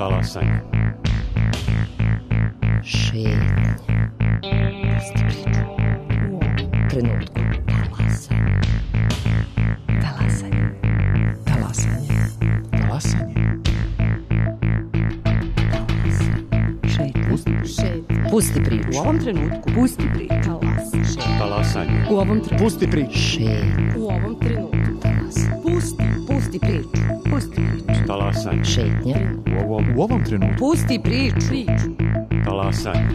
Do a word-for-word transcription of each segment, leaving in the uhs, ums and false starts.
Talasanje. Šetnje. Pusti priču. U ovom trenutku. Talasanje. Talasanje. Talasanje. Talasanje. Šetnje. Šetnje. Pusti priču. U ovom trenutku. Pusti priču. Talasanje. U ovom trenutku. Pusti priču. Šetnje. U ovom trenutku. Pusti. Pusti priču. Pusti priču. Talasanje. Šetnje. U ovom, U ovom trenutku. Pusti priču. Priču. talasanje.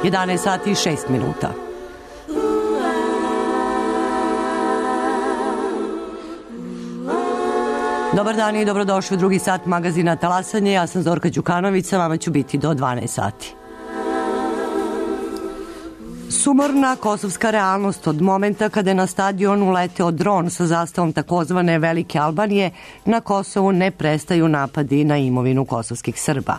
jedanaest sati i šest minuta. Dobar dan i dobrodošli u drugi sat magazina Talasanje. Ja sam Zorka Đukanović, sa vama ću biti do dvanaest sati. Sumorna kosovska realnost od momenta kada je na stadion uleteo dron sa zastavom takozvane Velike Albanije, na Kosovu ne prestaju napadi na imovinu kosovskih Srba.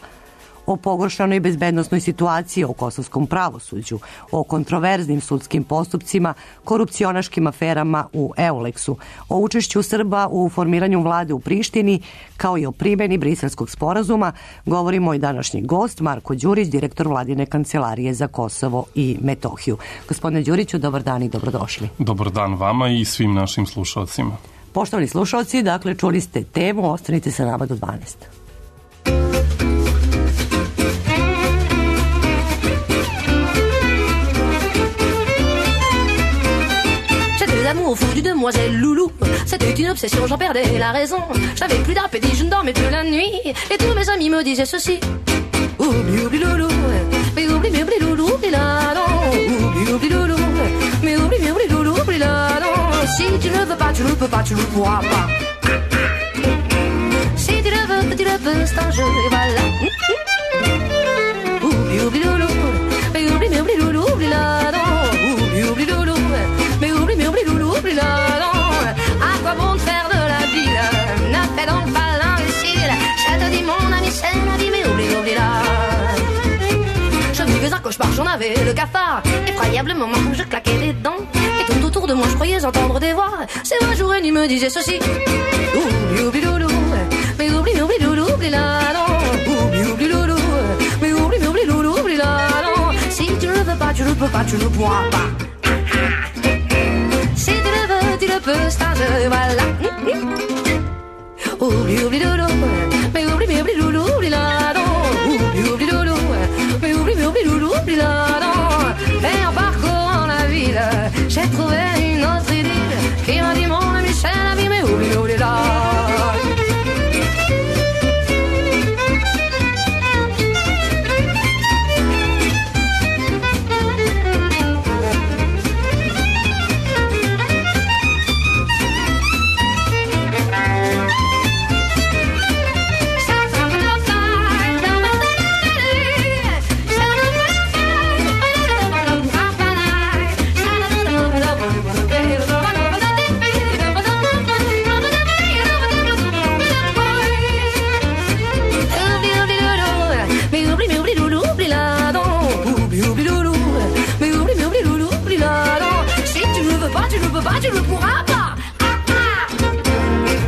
O pogoršanoj bezbednosnoj situaciji, o kosovskom pravosuđu, o kontroverznim sudskim postupcima, korupcionaškim aferama u Euleksu, o učešću Srba u formiranju vlade u Prištini, kao i o primjeni Briselskog sporazuma, govori moj današnji gost, Marko Đurić, direktor Vladine kancelarije za Kosovo i Metohiju. Gospodine Đuriću, dobar dan i dobrodošli. Dobar dan vama i svim našim slušalcima. Poštovani slušalci, dakle, čuli ste temu, ostanite sa nama do dvanaest. Au fond du demoiselle Loulou, c'était une obsession, j'en perdais la raison. J'avais plus d'appétit, je ne dormais plus la nuit. Et tous mes amis me disaient ceci: oublie, oublie Loulou, mais oublie, mais oublie Loulou, oublie la non. Oublie, oublie Loulou, mais oublie, mais oublie Loulou, oublie la non. Si tu ne veux pas, tu ne peux pas, tu ne pourras pas. Si tu le veux, tu le peux, c'est un jeu, et voilà. Oublie, oublie Loulou, mais oublie, mais oublie Loulou, oublie la non. Oublie, oublie Loulou, mais oublie, mais oublie Loulou, oublie la non. À quoi bon te faire de la ville? Ne fais donc pas l'imbécile. Je te dis mon ami, c'est ma vie, mais oublie, oublie la. Je vivais un cauchemar, j'en avais le cafard. Effroyablement, je claquais les dents. Et tout autour de moi, je croyais entendre des voix. C'est vrai, jour et nuit me disait ceci: oublie, oublie Loulou, mais oublie, mais oublie Loulou, oublie la non. Oublie, oublie Loulou, mais oublie, mais oublie Loulou, oublie la non. Si tu ne le veux pas, tu ne peux pas, tu ne pourras pas. Si tu le veux, tu le peux, c'est un jeu, voilà. Oublie, oublie Loulou, mais oublie, mais oublie Loulou, oublie la non. Oublie, oublie Loulou, mais oublie, mais oublie Loulou, oublie la non. Et en parcourant la ville, j'ai trouvé une autre idylle qui m'a dit mon ami, c'est la vie, mais oublie, oublie la. Tu ne pourras pas. Ah, ah.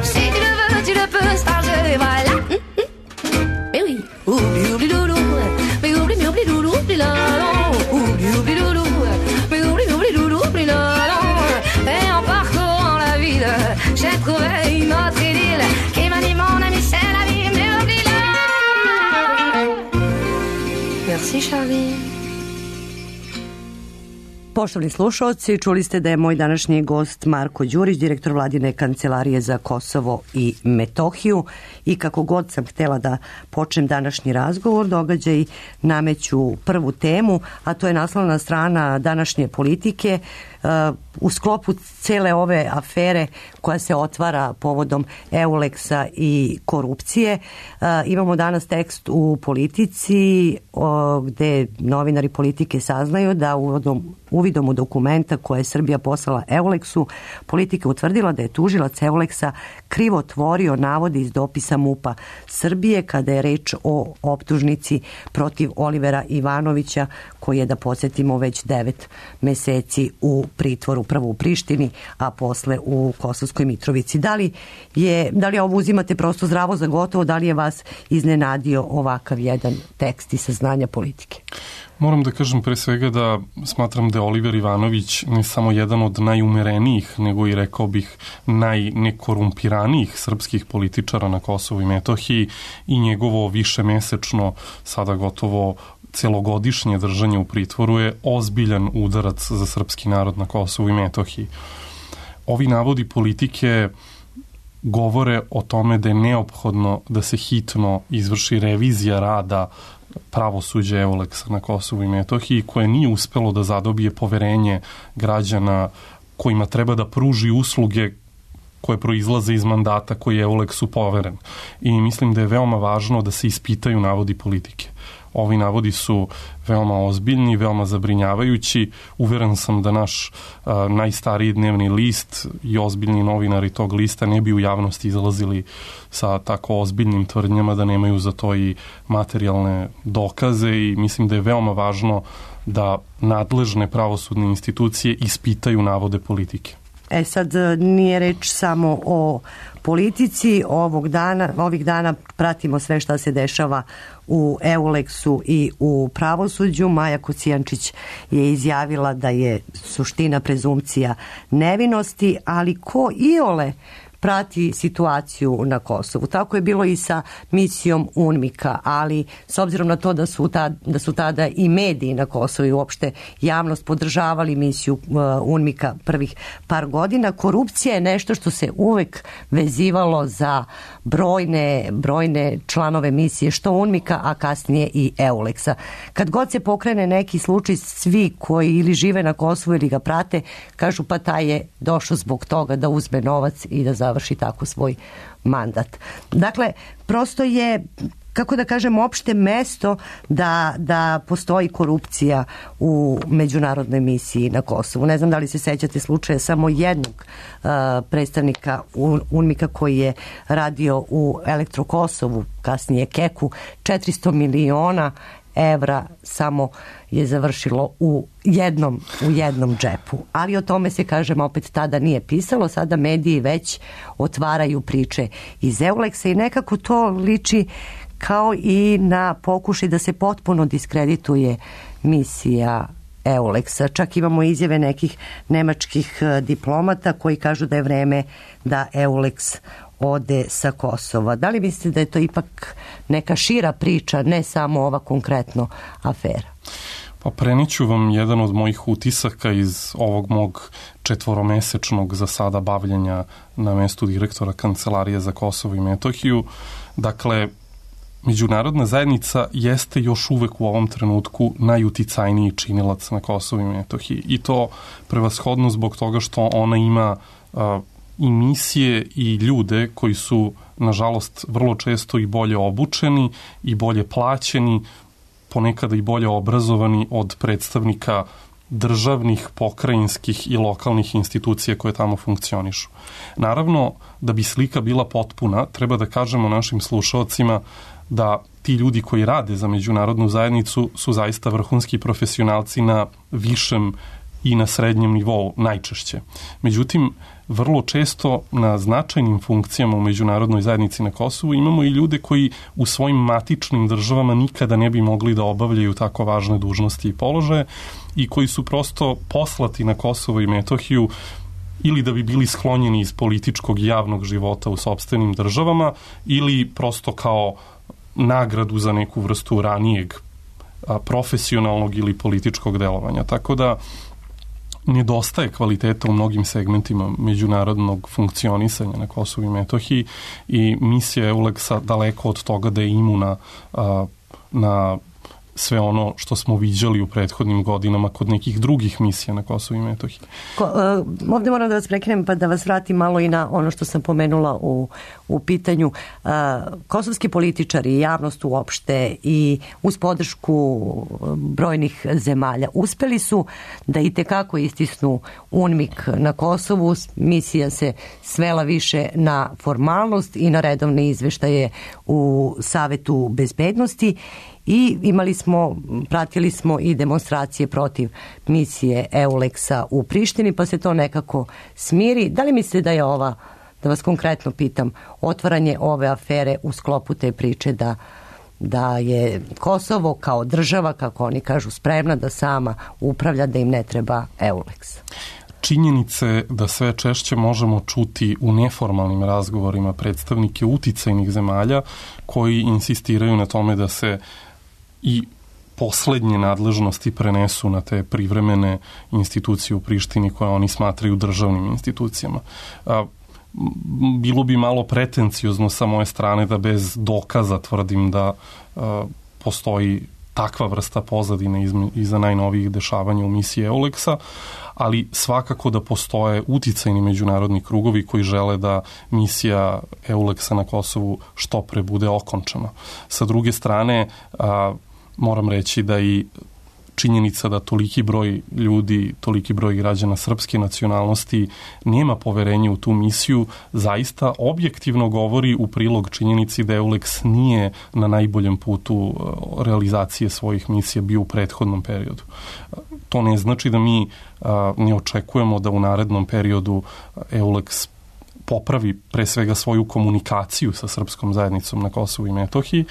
Si tu le veux, tu le peux, c'est un jeu, et voilà. Mais oui, oublie, oublie Loulou, mais oublie, mais oublie Loulou, oublie la non. Oublie, oublie Loulou, mais oublie, mais oublie Loulou, oublie la non. Et en parcourant la ville, j'ai trouvé une autre idylle qui m'a dit mon ami, c'est la vie, mais oublie la. Merci Charlie. Poštovni slušalci, čuli ste da je moj današnji gost Marko Đurić, direktor Vladine kancelarije za Kosovo i Metohiju, i kako god sam htjela da počnem današnji razgovor, događaj nameću prvu temu, a to je naslovna strana današnje Politike. u sklopu cele ove afere koja se otvara povodom Euleksa i korupcije. Imamo danas tekst u Politici gde novinari Politike saznaju da uvodom, uvidom u dokumenta koje je Srbija poslala Euleksu, Politika utvrdila da je tužilac Euleksa krivo tvorio navode iz dopisa MUP-a Srbije kada je reč o optužnici protiv Olivera Ivanovića, koji je, da podsjetimo, već devet meseci u pritvoru, prvo u Prištini, a posle u Kosovskoj Mitrovici. Da li, je, da li ovo uzimate prosto zdravo za gotovo, da li je vas iznenadio ovakav jedan tekst i saznanja Politike? Moram da kažem pre svega da smatram da je Oliver Ivanović ne samo jedan od najumerenijih, nego i rekao bih najnekorumpiranijih srpskih političara na Kosovu i Metohiji i njegovo višemesečno, sada gotovo celogodišnje držanje u pritvoru je ozbiljan udarac za srpski narod na Kosovu i Metohiji. Ovi navodi Politike govore o tome da je neophodno da se hitno izvrši revizija rada pravosuđa Euleksa na Kosovu i Metohiji, koje nije uspelo da zadobije poverenje građana kojima treba da pruži usluge koje proizlaze iz mandata koji je Euleksu poveren. I mislim da je veoma važno da se ispitaju navodi Politike. Ovi navodi su veoma ozbiljni, veoma zabrinjavajući. Uveren sam da naš a, najstariji dnevni list i ozbiljni novinari tog lista ne bi u javnosti izlazili sa tako ozbiljnim tvrdnjama da nemaju za to i materijalne dokaze i mislim da je veoma važno da nadležne pravosudne institucije ispitaju navode Politike. E sad, nije reč samo o Politici, ovog dana, ovih dana pratimo sve šta se dešava u Euleksu i u pravosuđu. Maja Kocijančić je izjavila da je suština prezumcija nevinosti, ali ko iole prati situaciju na Kosovu. Tako je bilo i sa misijom UNMIK-a, ali s obzirom na to da su, ta, da su tada i mediji na Kosovu i uopšte javnost podržavali misiju uh, UNMIK-a prvih par godina, korupcija je nešto što se uvek vezivalo za brojne, brojne članove misije, što UNMIK-a, a kasnije i Euleksa. Kad god se pokrene neki slučaj, svi koji ili žive na Kosovu ili ga prate, kažu pa taj je došao zbog toga da uzme novac i da završi tako svoj mandat. Dakle, prosto je, kako da kažem, opšte mesto da, da postoji korupcija u međunarodnoj misiji na Kosovu. Ne znam da li se sećate slučaja samo jednog uh, predstavnika UNMIK-a koji je radio u Elektro Kosovu, kasnije Keku, četiristo miliona evra samo je završilo u jednom, u jednom džepu. Ali o tome se, kažem, opet tada nije pisalo, sada mediji već otvaraju priče iz Euleksa i nekako to liči kao i na pokušaj da se potpuno diskredituje misija Euleksa. Čak imamo izjave nekih nemačkih diplomata koji kažu da je vreme da Euleks ode sa Kosova. Da li mislite da je to ipak neka šira priča, ne samo ova konkretno afera? Pa preniću vam jedan od mojih utisaka iz ovog mog četvoromesečnog za sada bavljenja na mestu direktora Kancelarije za Kosovo i Metohiju. Dakle, međunarodna zajednica jeste još uvek u ovom trenutku najuticajniji činilac na Kosovu i Metohiji. I to prevashodno zbog toga što ona ima uh, i misije i ljude koji su, nažalost, vrlo često i bolje obučeni i bolje plaćeni, ponekada i bolje obrazovani od predstavnika državnih, pokrajinskih i lokalnih institucija koje tamo funkcionišu. Naravno, da bi slika bila potpuna, treba da kažemo našim slušalcima da ti ljudi koji rade za međunarodnu zajednicu su zaista vrhunski profesionalci na višem i na srednjem nivou najčešće. Međutim, vrlo često na značajnim funkcijama u međunarodnoj zajednici na Kosovu imamo i ljude koji u svojim matičnim državama nikada ne bi mogli da obavljaju tako važne dužnosti i položaje i koji su prosto poslati na Kosovo i Metohiju ili da bi bili sklonjeni iz političkog i javnog života u sopstvenim državama ili prosto kao nagradu za neku vrstu ranijeg a, profesionalnog ili političkog delovanja. Tako da nedostaje kvaliteta u mnogim segmentima međunarodnog funkcionisanja na Kosovu i Metohiji i misija Euleksa daleko od toga da je imuna a, na sve ono što smo viđali u prethodnim godinama kod nekih drugih misija na Kosovu i Metohiji. Ko, uh, ovdje moram da vas prekrenem pa da vas vratim malo i na ono što sam pomenula u, u pitanju. Uh, kosovski političari i javnost uopšte i uz podršku brojnih zemalja uspeli su da i tekako istisnu UNMIK na Kosovu. Misija se svela više na formalnost i na redovne izveštaje u Savetu bezbednosti i imali smo, pratili smo i demonstracije protiv misije EULEX-a u Prištini, pa se to nekako smiri. Da li mislite da je ova, da vas konkretno pitam, otvaranje ove afere u sklopu te priče da, da je Kosovo kao država, kako oni kažu, spremna da sama upravlja, da im ne treba EULEX? Činjenice da sve češće možemo čuti u neformalnim razgovorima predstavnike uticajnih zemalja koji insistiraju na tome da se i poslednje nadležnosti prenesu na te privremene institucije u Prištini koje oni smatraju državnim institucijama. Bilo bi malo pretenciozno sa moje strane da bez dokaza tvrdim da postoji takva vrsta pozadine iza najnovijih dešavanja u misiji EULEX-a, ali svakako da postoje uticajni međunarodni krugovi koji žele da misija EULEX-a na Kosovu što pre bude okončana. Sa druge strane, a, moram reći da i činjenica da toliki broj ljudi, toliki broj građana srpske nacionalnosti nema poverenje u tu misiju, zaista objektivno govori u prilog činjenici da EULEX nije na najboljem putu realizacije svojih misija bio u prethodnom periodu. To ne znači da mi a, ne očekujemo da u narednom periodu EULEX popravi pre svega svoju komunikaciju sa srpskom zajednicom na Kosovu i Metohiji,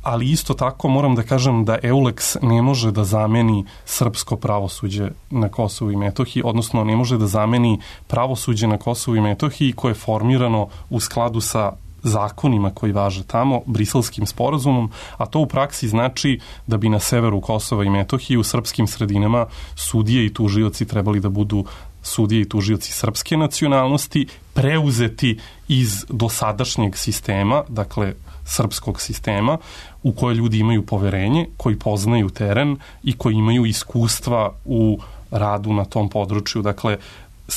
ali isto tako moram da kažem da EULEX ne može da zameni srpsko pravosuđe na Kosovu i Metohiji, odnosno ne može da zameni pravosuđe na Kosovu i Metohiji koje je formirano u skladu sa zakonima koji važe tamo, Briselskim sporazumom, a to u praksi znači da bi na severu Kosova i Metohije u srpskim sredinama sudije i tužioci trebali da budu sudije i tužioci srpske nacionalnosti, preuzeti iz dosadašnjeg sistema, dakle srpskog sistema, u koje ljudi imaju poverenje, koji poznaju teren i koji imaju iskustva u radu na tom području. Dakle,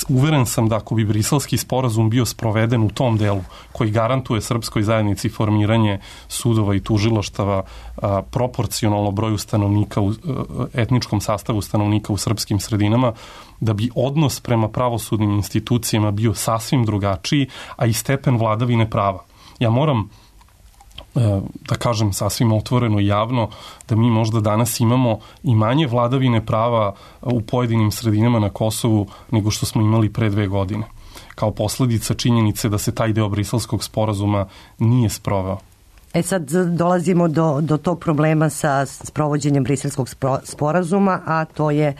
uveren sam da ako bi Briselski sporazum bio sproveden u tom delu koji garantuje srpskoj zajednici formiranje sudova i tužilaštava a, proporcionalno broju stanovnika, u, etničkom sastavu stanovnika u srpskim sredinama, da bi odnos prema pravosudnim institucijama bio sasvim drugačiji, a i stepen vladavine prava. Ja moram da kažem sasvim otvoreno i javno da mi možda danas imamo i manje vladavine prava u pojedinim sredinama na Kosovu nego što smo imali pre dve godine. Kao posledica činjenice da se taj deo Briselskog sporazuma nije sproveo. E sad dolazimo do, do tog problema sa sprovođenjem Briselskog sporazuma, a to je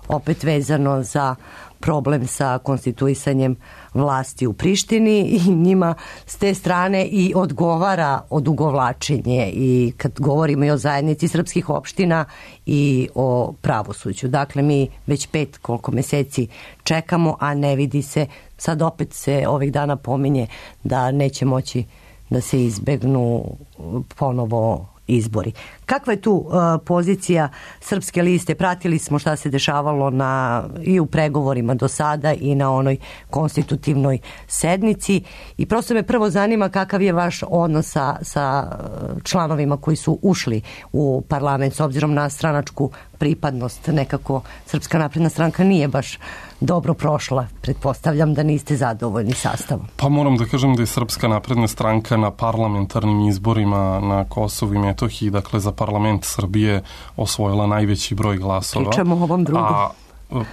opet vezano za problem sa konstituisanjem vlasti u Prištini i njima s te strane i odgovara odugovlačenje i kad govorimo i o zajednici srpskih opština i o pravosuđu. Dakle, mi već pet koliko meseci čekamo, a ne vidi se, sad opet se ovih dana pominje da neće moći da se izbegnu ponovo izbori. Kakva je tu uh, pozicija Srpske liste? Pratili smo šta se dešavalo na, i u pregovorima do sada i na onoj konstitutivnoj sednici i prosto me prvo zanima kakav je vaš odnos sa, sa članovima koji su ušli u parlament s obzirom na stranačku pripadnost. Nekako Srpska napredna stranka nije baš dobro prošla. Pretpostavljam da niste zadovoljni sastavom. Pa moram da kažem da je Srpska napredna stranka na parlamentarnim izborima na Kosovu i Metohiji, dakle za parlament Srbije, osvojila najveći broj glasova. Pričamo o ovom drugom. A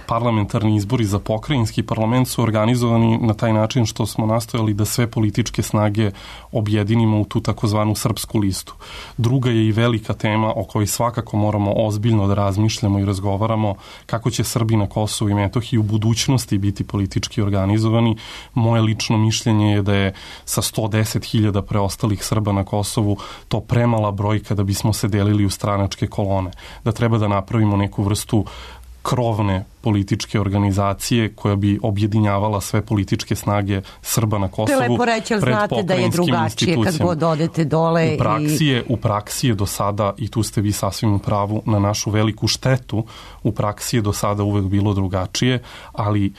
parlamentarni izbori za pokrajinski parlament su organizovani na taj način što smo nastojali da sve političke snage objedinimo u tu takozvanu srpsku listu. Druga je i velika tema o kojoj svakako moramo ozbiljno da razmišljamo i razgovaramo kako će Srbi na Kosovu i Metohiji u budućnosti biti politički organizovani. Moje lično mišljenje je da je sa sto deset hiljada preostalih Srba na Kosovu to premala brojka da bismo se delili u stranačke kolone. Da treba da napravimo neku vrstu krovne političke organizacije koja bi objedinjavala sve političke snage Srba na Kosovu. To je lepo reći, ali znate da je drugačije kad god odete dole. U praksi, i... je, u praksi je do sada, i tu ste vi sasvim u pravu, na našu veliku štetu, u praksi je do sada uvek bilo drugačije, ali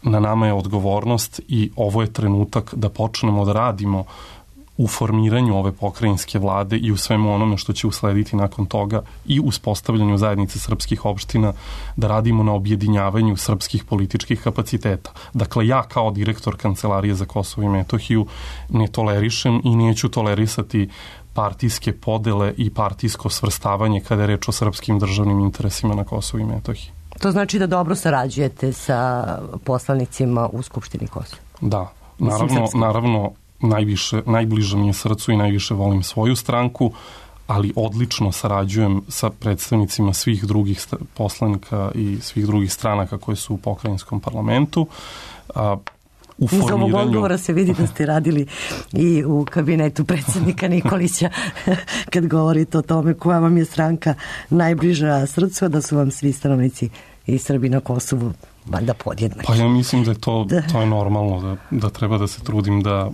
na nama je odgovornost i ovo je trenutak da počnemo da radimo u formiranju ove pokrajinske vlade i u svemu onome što će uslediti nakon toga i uspostavljanju zajednice srpskih opština, da radimo na objedinjavanju srpskih političkih kapaciteta. Dakle, ja kao direktor Kancelarije za Kosovo i Metohiju ne tolerišem i neću tolerisati partijske podele i partijsko svrstavanje kada je reč o srpskim državnim interesima na Kosovo i Metohiji. To znači da dobro sarađujete sa poslanicima u Skupštini Kosova? Da, naravno, naravno najviše, najbliže mi je srcu i najviše volim svoju stranku, ali odlično sarađujem sa predstavnicima svih drugih poslanika i svih drugih stranaka koje su u pokrajinskom parlamentu. A, u Iz formiranju... ovog odgovora se vidi da ste radili i u kabinetu predsjednika Nikolića kad govorite o tome koja vam je stranka najbliža srcu, da su vam svi stanovnici i Srbi na Kosovu valjda podjednaki. Pa ja mislim da je to, to je normalno, da, da treba da se trudim da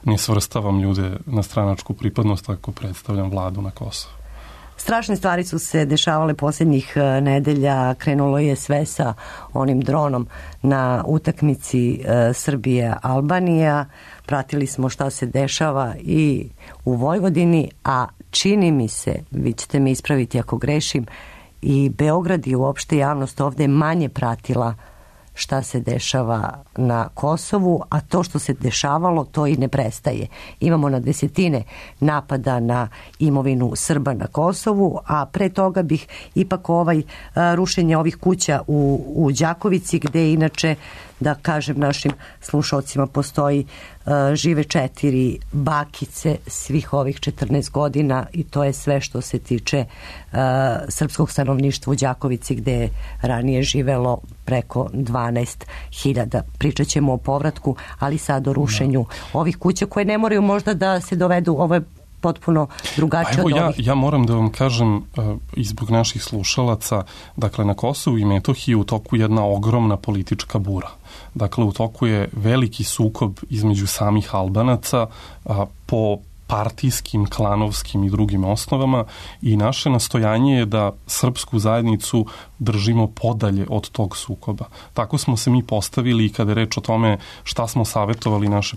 ne svrstavam ljude na stranačku pripadnost ako predstavljam vladu na Kosovu. Strašne stvari su se dešavale posljednjih nedelja. Krenulo je sve sa onim dronom na utakmici Srbije-Albanija. Pratili smo šta se dešava i u Vojvodini, a čini mi se, vi ćete me ispraviti ako grešim, i Beograd i uopšte javnost ovde manje pratila šta se dešava na Kosovu, a to što se dešavalo, to i ne prestaje. Imamo na desetine napada na imovinu Srba na Kosovu, a pre toga bih ipak ovaj rušenje ovih kuća u, u Đakovici, gde inače, da kažem našim slušalcima, postoji uh, žive četiri bakice svih ovih četrnaest godina i to je sve što se tiče uh, srpskog stanovništva u Đakovici, gde je ranije živelo preko dvanaest hiljada. Pričat ćemo o povratku, ali sad o rušenju no. ovih kuća koje ne moraju možda da se dovedu. Ovo je potpuno drugačije Evo, od ja, ovih. ja moram da vam kažem uh, i zbog naših slušalaca, dakle na Kosovu i Metohiji u toku jedna ogromna politička bura. Dakle, u toku je veliki sukob između samih Albanaca uh, po partijskim, klanovskim i drugim osnovama i naše nastojanje je da srpsku zajednicu držimo podalje od tog sukoba. Tako smo se mi postavili i kada je reč o tome šta smo savjetovali naše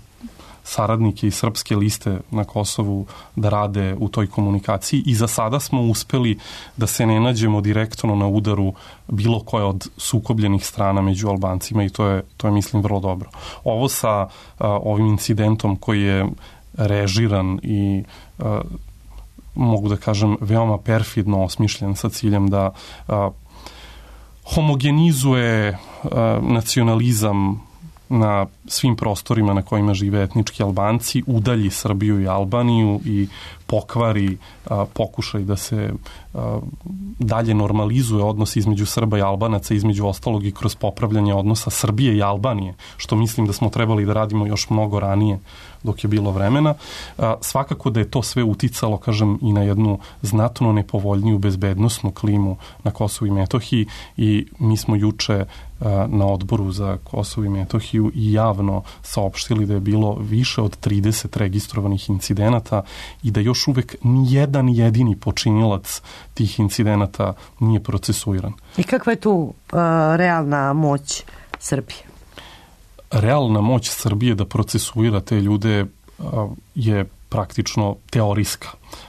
saradnike iz srpske liste na Kosovu da rade u toj komunikaciji i za sada smo uspeli da se ne nađemo direktno na udaru bilo koje od sukobljenih strana među Albancima i to je, to je mislim vrlo dobro. Ovo sa a, ovim incidentom koji je režiran i a, mogu da kažem veoma perfidno osmišljen sa ciljem da a, homogenizuje a, nacionalizam na svim prostorima na kojima žive etnički Albanci, udalji Srbiju i Albaniju i pokvari a, pokušaj da se a, dalje normalizuje odnos između Srba i Albanaca, između ostalog i kroz popravljanje odnosa Srbije i Albanije, što mislim da smo trebali da radimo još mnogo ranije dok je bilo vremena. A, svakako da je to sve uticalo, kažem, i na jednu znatno nepovoljniju bezbednosnu klimu na Kosovu i Metohiji i mi smo juče a, na odboru za Kosovo i Metohiju i javno saopštili da je bilo više od trideset registrovanih incidenata i da još uvek nijedan jedini počinilac tih incidenata nije procesuiran. I kakva je tu uh, realna moć Srbije? Realna moć Srbije da procesuira te ljude uh, je praktično teorijska.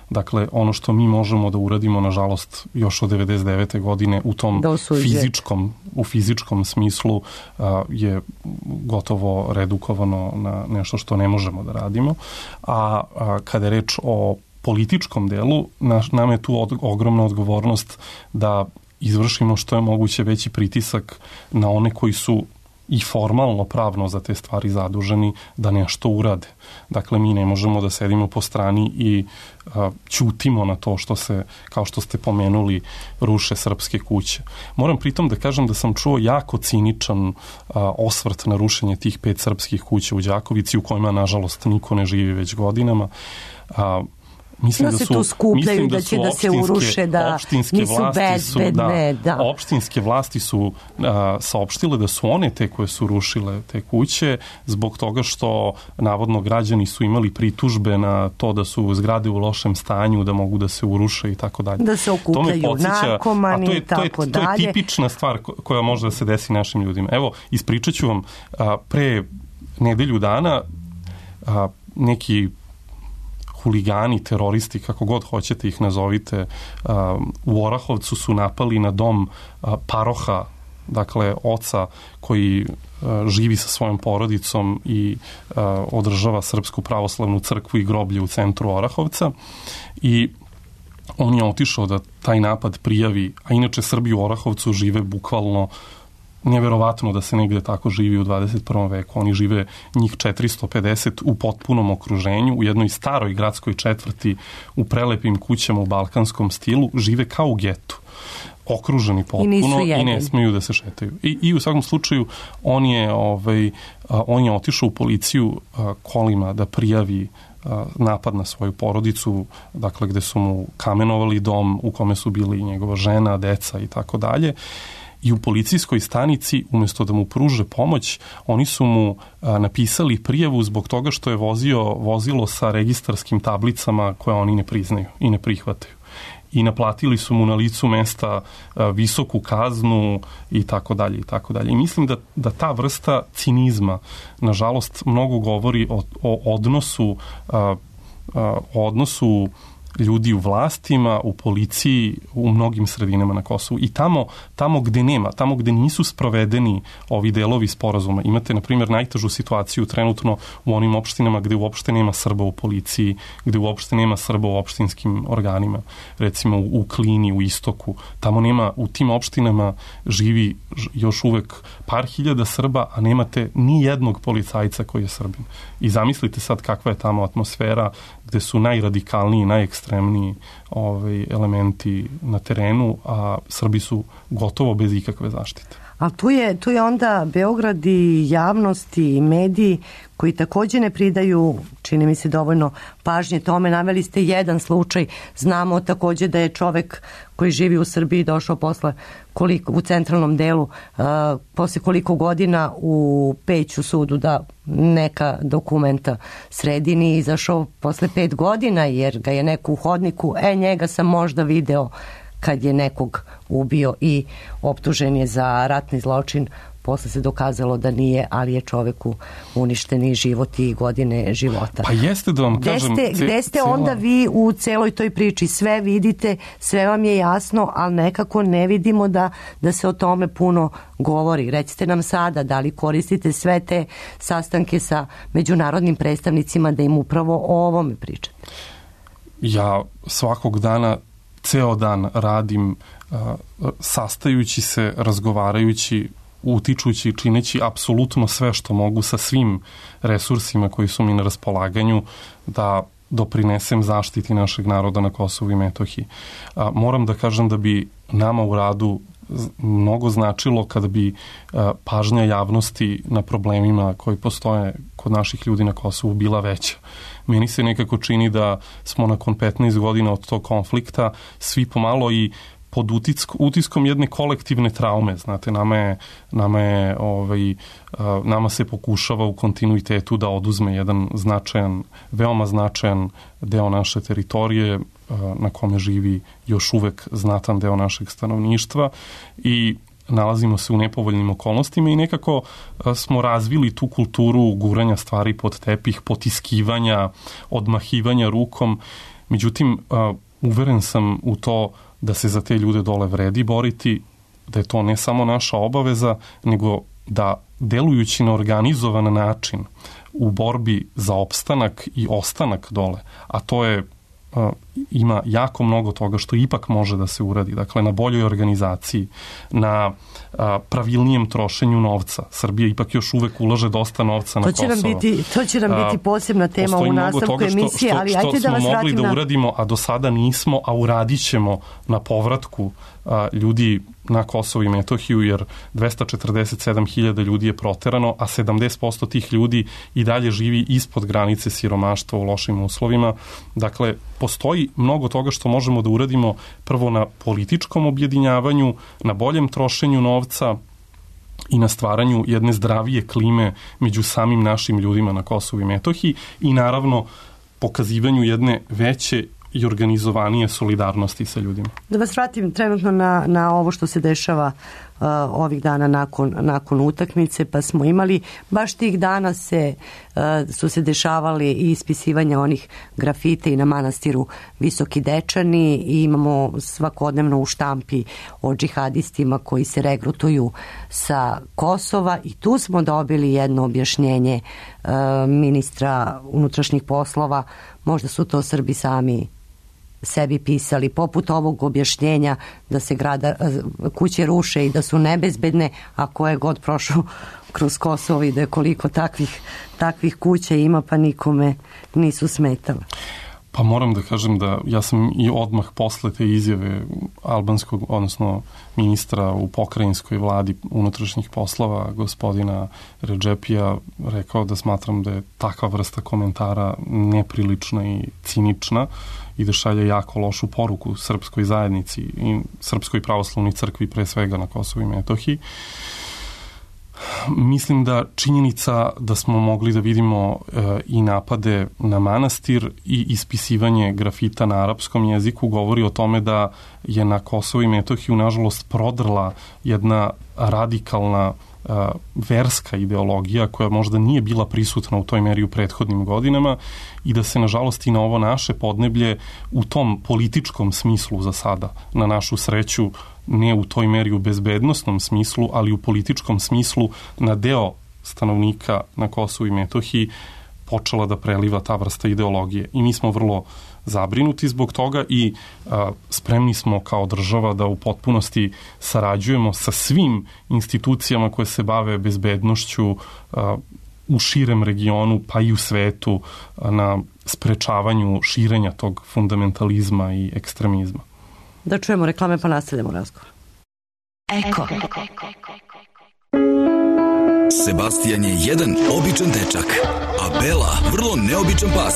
Dakle, ono što mi možemo da uradimo, nažalost, još od devedeset devete godine u tom fizičkom, u fizičkom smislu a, je gotovo redukovano na nešto što ne možemo da radimo. A, a kada je reč o političkom delu, naš, nam je tu od, ogromna odgovornost da izvršimo što je moguće veći pritisak na one koji su i formalno pravno za te stvari zaduženi da nešto urade. Dakle, mi ne možemo da sedimo po strani i a, ćutimo na to što se, kao što ste pomenuli, ruše srpske kuće. Moram pritom da kažem da sam čuo jako ciničan a, osvrt na rušenje tih pet srpskih kuća u Đakovici u kojima, nažalost, niko ne živi već godinama. A, Mislim da, da se su, tu skupljaju, mislim da, da će su da se uruše, da nisu bezbedne. Su, da, da. Opštinske vlasti su a, saopštile da su one te koje su rušile te kuće zbog toga što navodno građani su imali pritužbe na to da su zgrade u lošem stanju, da mogu da se uruše i tako dalje. Da se okupljaju narkomani i tako dalje. To je tipična stvar koja može da se desi našim ljudima. Evo, ispričat ću vam, a, pre nedelju dana a, neki huligani, teroristi, kako god hoćete ih nazovite, u Orahovcu su napali na dom paroha, dakle oca koji živi sa svojom porodicom i održava Srpsku pravoslavnu crkvu i groblje u centru Orahovca, i on je otišao da taj napad prijavi, a inače Srbi u Orahovcu žive bukvalno neverovatno da se negde tako živi u dvadeset prvom veku. Oni žive njih četiristo pedeset u potpunom okruženju, u jednoj staroj gradskoj četvrti, u prelepim kućama u balkanskom stilu, žive kao u getu, okruženi potpuno i, i ne smiju da se šetaju. I, i u svakom slučaju on je, ovaj, on je otišao u policiju kolima da prijavi napad na svoju porodicu, dakle gde su mu kamenovali dom u kome su bili njegova žena, deca i tako dalje. I u policijskoj stanici, umjesto da mu pruže pomoć, oni su mu a, napisali prijavu zbog toga što je vozio vozilo sa registarskim tablicama koje oni ne priznaju i ne prihvataju. I naplatili su mu na licu mesta a, visoku kaznu i tako dalje i tako dalje. I mislim da, da ta vrsta cinizma, nažalost, mnogo govori o, o odnosu a, a, o odnosu ljudi u vlastima, u policiji, u mnogim sredinama na Kosovu. I tamo, tamo gde nema, tamo gde nisu sprovedeni ovi delovi sporazuma, imate, na primjer, najtežu situaciju trenutno u onim opštinama gde uopšte nema Srba u policiji, gde uopšte nema Srba u opštinskim organima, recimo u Klini, u Istoku. Tamo nema, u tim opštinama živi još uvek par hiljada Srba, a nemate ni jednog policajca koji je Srbin. I zamislite sad kakva je tamo atmosfera, gde su najradikalniji, najekstremniji ovaj, elementi na terenu, a Srbi su gotovo bez ikakve zaštite. Ali tu je, tu je onda Beograd i javnosti i mediji koji takođe ne pridaju, čini mi se, dovoljno pažnje tome. Naveli ste jedan slučaj, znamo takođe da je čovek koji živi u Srbiji došao posle koliko, u centralnom delu, uh, posle koliko godina u Peću sudu da neka dokumenta sredi, nije izašao posle pet godina jer ga je neko u hodniku, e njega sam možda video kad je nekog ubio i optužen je za ratni zločin. Posle se dokazalo da nije, ali je čoveku uništeni život i godine života. Pa jeste da vam kažem... Gde ste, gde ste onda vi u celoj toj priči? Sve vidite, sve vam je jasno, ali nekako ne vidimo da, da se o tome puno govori. Recite nam sada, da li koristite sve te sastanke sa međunarodnim predstavnicima da im upravo o ovome pričate? Ja svakog dana ceo dan radim uh, sastajući se, razgovarajući, utičući i čineći apsolutno sve što mogu sa svim resursima koji su mi na raspolaganju da doprinesem zaštiti našeg naroda na Kosovu i Metohiji. Uh, moram da kažem da bi nama u radu mnogo značilo kada bi uh, pažnja javnosti na problemima koji postoje kod naših ljudi na Kosovu bila veća. Meni se nekako čini da smo nakon petnaest godina od tog konflikta svi pomalo i pod utisk, utiskom jedne kolektivne traume. Znate, nama je, nama je ovaj, nama se pokušava u kontinuitetu da oduzme jedan značajan, veoma značajan deo naše teritorije na kome živi još uvek znatan deo našeg stanovništva i nalazimo se u nepovoljnim okolnostima i nekako smo razvili tu kulturu guranja stvari pod tepih, potiskivanja, odmahivanja rukom. Međutim, uveren sam u to da se za te ljude dole vredi boriti, da je to ne samo naša obaveza, nego da delujući na organizovan način u borbi za opstanak i ostanak dole, a to je Uh, ima jako mnogo toga što ipak može da se uradi. Dakle, na boljoj organizaciji, na uh, pravilnijem trošenju novca. Srbija ipak još uvek ulaže dosta novca na Kosovo. To će nam biti, to će nam biti posebna tema u nastavku emisije, ali što, ajte da vas vratim na... Što smo mogli da uradimo, a do sada nismo, a uradit ćemo na povratku uh, ljudi na Kosovo i Metohiju, jer dvesta četrdeset sedam hiljada ljudi je proterano, a sedamdeset posto tih ljudi i dalje živi ispod granice siromaštva u lošim uslovima. Dakle, postoji mnogo toga što možemo da uradimo prvo na političkom objedinjavanju, na boljem trošenju novca i na stvaranju jedne zdravije klime među samim našim ljudima na Kosovu i Metohiji i naravno pokazivanju jedne veće i organizovanije solidarnosti sa ljudima. Da vas vratim trenutno na, na ovo što se dešava uh, ovih dana nakon, nakon utakmice, pa smo imali, baš tih dana se, uh, su se dešavali i ispisivanja onih grafite i na manastiru Visoki Dečani i imamo svakodnevno u štampi o džihadistima koji se regrutuju sa Kosova i tu smo dobili jedno objašnjenje uh, ministra unutrašnjih poslova, možda su to Srbi sami sebi pisali, poput ovog objašnjenja da se grada, kuće ruše i da su nebezbedne, a ko je god prošao kroz Kosovo i da je koliko takvih, takvih kuća ima, pa nikome nisu smetale. Pa moram da kažem da ja sam i odmah posle te izjave albanskog, odnosno ministra u pokrajinskoj vladi unutrašnjih poslova, gospodina Redžepija, rekao da smatram da je takva vrsta komentara neprilična i cinična i da šalje jako lošu poruku srpskoj zajednici i srpskoj pravoslavnoj crkvi pre svega na Kosovu i Metohiji. Mislim da činjenica da smo mogli da vidimo e, i napade na manastir i ispisivanje grafita na arapskom jeziku govori o tome da je na Kosovu i Metohiju nažalost prodrla jedna radikalna e, verska ideologija koja možda nije bila prisutna u toj meri u prethodnim godinama i da se nažalost i na ovo naše podneblje u tom političkom smislu za sada, na našu sreću, ne u toj meri u bezbednostnom smislu, ali u političkom smislu na deo stanovnika na Kosovu i Metohiji počela da preliva ta vrsta ideologije. I mi smo vrlo zabrinuti zbog toga i a, spremni smo kao država da u potpunosti sarađujemo sa svim institucijama koje se bave bezbednošću a, u širem regionu, pa i u svetu, a, na sprečavanju širenja tog fundamentalizma i ekstremizma. Da čujemo reklame pa nastavljamo razgovor. Eko. Sebastian je jedan običan dečak, a Bela vrlo neobičan pas.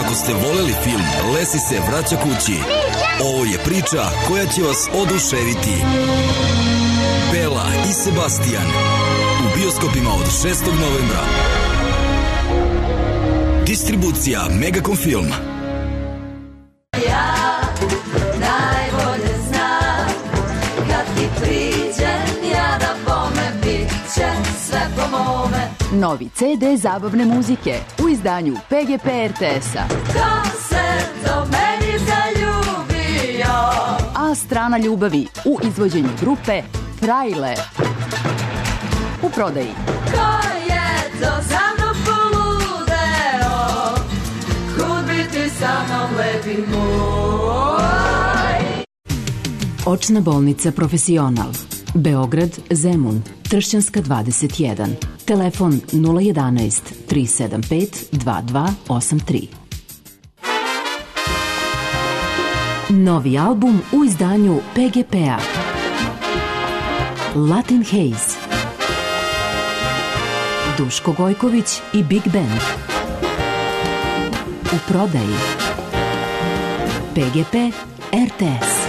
Ako ste voleli film Lesi se vraća kući, ovo je priča koja će vas oduševiti. Bela i Sebastian u bioskopima od šestog novembra. Distribucija Megacom Film. Ja najbolje znam kad ti priđem ja da bome bit će sve po mome. Novi ce de zabavne muzike u izdanju pe ge pe er te es-a. Ko se do meni zaljubio? A strana ljubavi u izvođenju grupe Frajle. U prodaji. Ko je to za mnom poludeo? Kud bi ti sa mnom lepi moj? Očna bolnica Profesional. Beograd, Zemun, Tršćanska dvadeset jedan. Telefon nula jedanaest tri sedam pet dva dva osam tri. Novi album u izdanju pe ge pe-a. Latin Haze. Duško Gojković i Big Band. U prodaji. pe ge pe er te es.